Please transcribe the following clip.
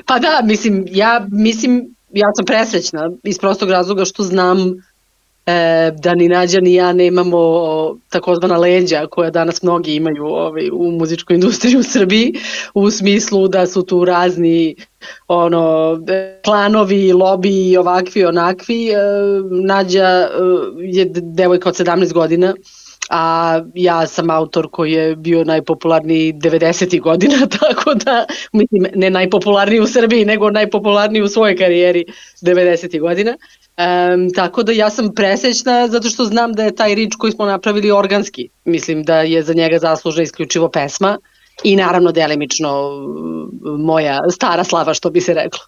Pa da, ja sam presrećna iz prostog razloga što znam da ni Nađa ni ja nemamo takozvana leđa koja danas mnogi imaju u muzičkoj industriji u Srbiji, u smislu da su tu razni klanovi, lobiji, ovakvi, onakvi. Nađa je devojka od 17 godina, a ja sam autor koji je bio najpopularniji 90. godina, tako da, mislim, ne najpopularniji u Srbiji, nego najpopularniji u svojoj karijeri 90. godina. Tako da ja sam presrećna zato što znam da je taj rič koji smo napravili organski. Mislim da je za njega zaslužna isključivo pesma i naravno delimično moja stara slava, što bi se reklo.